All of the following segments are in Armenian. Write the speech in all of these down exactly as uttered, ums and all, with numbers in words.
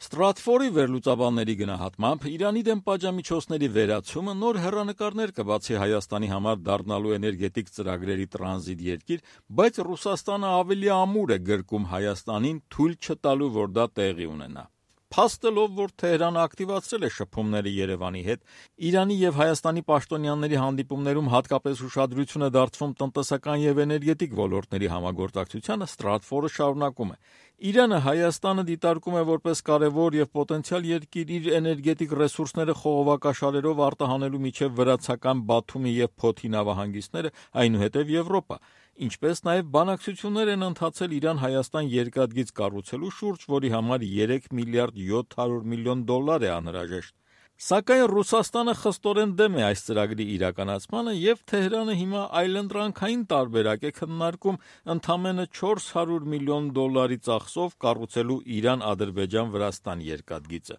Ստրատֆորի վերլուծաբանների գնահատմամբ Իրանի դեմ պատժամիջոցների վերացումը նոր հեռանկարներ կբացի Հայաստանի համար դառնալու էներգետիկ ծրագրերի տրանզիտ երկիր, բայց Ռուսաստանը ավելի ամուր է գրկում Հայաստանին թույլ չտալու, որ դա տեղի ունենա։ Փաստը, որ Թեհրանը ակտիվացրել է շփումները Երևանի հետ, Իրանի եւ Հայաստանի պաշտոնյաների հանդիպումներում հատկապես ուշադրություն է դարձվում տնտեսական եւ էներգետիկ ոլորտների համագործակցությանը, Ստրատֆորը շարունակում է. Իրանը Հայաստանը դիտարկում է որպես կարևոր եւ պոտենցիալ երկիր իր էներգետիկ ռեսուրսները խողովակաշարերով արտահանելու միջև վրացական Բաթումի եւ Փոթի նավահանգիստները, այնուհետեւ Եվրոպա, ինչպես նաեւ բանակցություններ են ընթացել Իրան-Հայաստան երկաթգիծ կառուցելու շուրջ, որի համար երեք միլիարդ յոթ հարյուր միլիոն դոլար է անհրաժեշտ։ Սակայն Ռուսաստանը խստորեն դեմ է այս ծրագրի իրականացմանը եւ Թեհրանը հիմա այլընտրանքային տարբերակ է քննարկում ընդամենը չորս հարյուր միլիոն դոլարի ծախսով կառուցելու Իրան-Ադրբեջան-Վրաստան երկաթգիծը։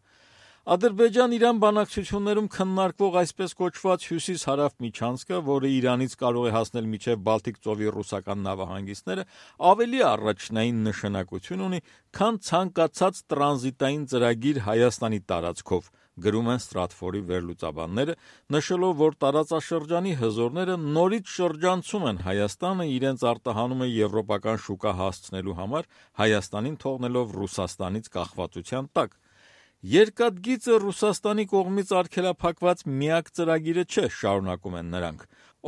Ադրբեջան-Իրան բանակցություններում քննարկվող այսպես կոչված հյուսիս-հարավ միջանցքը, որը Իրանից կարող է հասնել մինչև Բալտիկ ծովի ռուսական նավահանգիստները, ավելի առաջնային նշանակություն ունի, քան ցանկացած տրանզիտային ծրագիր Հայաստանի տարածքով, գրում են Ստրատֆորի վերլուծաբանները, նշելով, որ տարածաշրջանի հզորները նորից շրջանցում են Հայաստանը իրենց արտահանումը եվրոպական շուկա հասցնելու համար, Հայաստանին թողնելով Ռուսաստանից կախվածության տակ։ Երկաթգիծը Ռուսաստանի կողմից արգելափակված միակ ծրագիրը չէ, շարունակում են նրանք։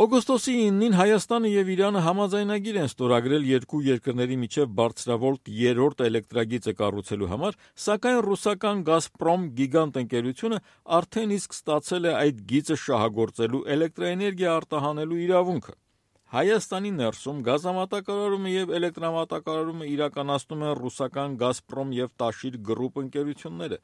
Օգոստոսի իննին Հայաստանը եւ Իրանը համաձայնագիր են ստորագրել երկու երկրների միջև բարձրավոլտ երրորդ էլեկտրագիծը կառուցելու համար, սակայն ռուսական «Գազպրոմ» գիգանտ ընկերությունը արդեն իսկ ստացել է այդ գիծը շահագործելու էլեկտրաէներգիա արտահանելու իրավունքը։ Հայաստանի ներսում գազամատակարարումը եւ էլեկտրամատակարարումը իրականացնում են ռուսական «Գազպրոմ» եւ «Տաշիր» գրուպ ընկերությունները։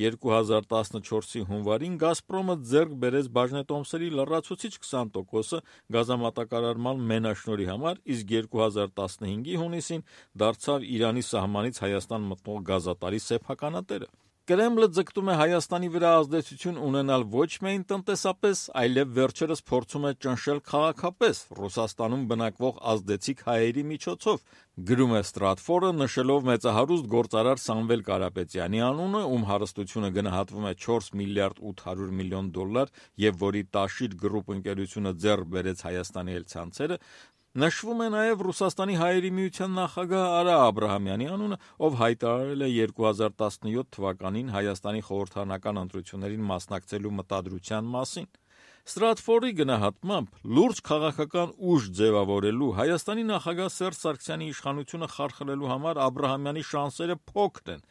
երկու հազար տասնչորսի հունվարին «Գազպրոմը» ձեռք բերեց բաժնետոմսերի լրացուցիչ քսան տոկոսը գազամատակարարման մենաշնորհի համար, իսկ երկու հազար տասնհինգի հունիսին դարձավ Իրանի սահմանից Հայաստան մտնող գազատարի սեփականատերը։ Կրեմլը ձգտում է Հայաստանի վրա ազդեցություն ունենալ ոչ միայն տնտեսապես, այլև վերջերս փորձում է ճնշել քաղաքապես Ռուսաստանում բնակվող ազդեցիկ հայերի միջոցով, գրում է Ստրատֆորը, նշելով մեծահարուստ գործարար Սամվել Կարապետյանի անունը, ում հարստությունը գնահատվում է չորս միլիարդ ութ հարյուր միլիոն դոլար եւ որի Տաշիր գրուպ ընկերությունը ձեռք բերեց Հայաստանի այլցանցերը, նշվում է նաև Ռուսաստանի հայերի միության նախագահ Արա Աբրահամյանի անունը, ով հայտարարել է երկու հազար տասնյոթ թվականին Հայաստանի խորհրդարանական ընտրություններին մասնակցելու մտադրության մասին։ Ստրատֆորի գնահատմամբ լուրջ քաղաքական ուժ ձևավորելու Հայաստանի նախագահ Սերժ Սարգսյանի իշխանությունը խարխլելու համար Աբրահամյանի շանսերը փոքր են։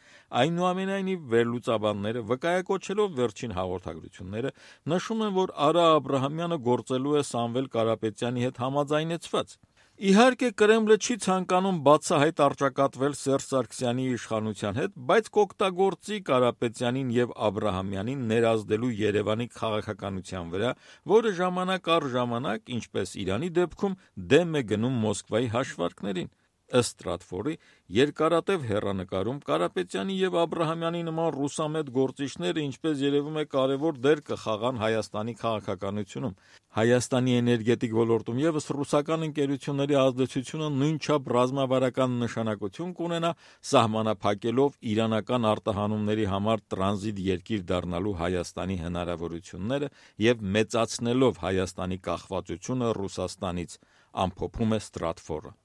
Այնուամենայնիվ վերլուծաբանները, վկայակոչելով վերջին հաղորդագրությունները, նշում են, որ Արա Աբրահամյանը գործելու է Սամվել Կարապետյանի հետ համաձայնեցված։ Իհարկե Կրեմլը չի ցանկանում բացահայտ առճակատվել Սերժ Սարգսյանի իշխանության հետ, բայց կօգտագործի Կարապետյանին եւ Աբրահամյանին ներազդելու Երևանի քաղաքականության վրա, որը ժամանակ առ ժամանակ, ինչպես Իրանի դեպքում, դեմ է գնում Մոսկվայի հաշվարկներին։ Ըստ Ստրատֆորի, երկարատև հեռանկարում Կարապետյանի եւ Աբրահամյանի նման ռուսամետ գործիչները, ինչպես երևում է, կարևոր դեր կխաղան Հայաստանի քաղաքականությունում։ Հայաստանի էներգետիկ ոլորտում եւս ռուսական ընկերությունների ազդեցությունը նույնչափ ռազմավարական նշանակություն կունենա, սահմանափակելով իրանական արտահանումների համար տրանզիտ երկիր դառնալու Հայաստանի հնարավորությունները եւ մեծացնելով Հայաստանի կախվածությունը Ռուսաստանից, ամփոփում է Ստրատֆորը։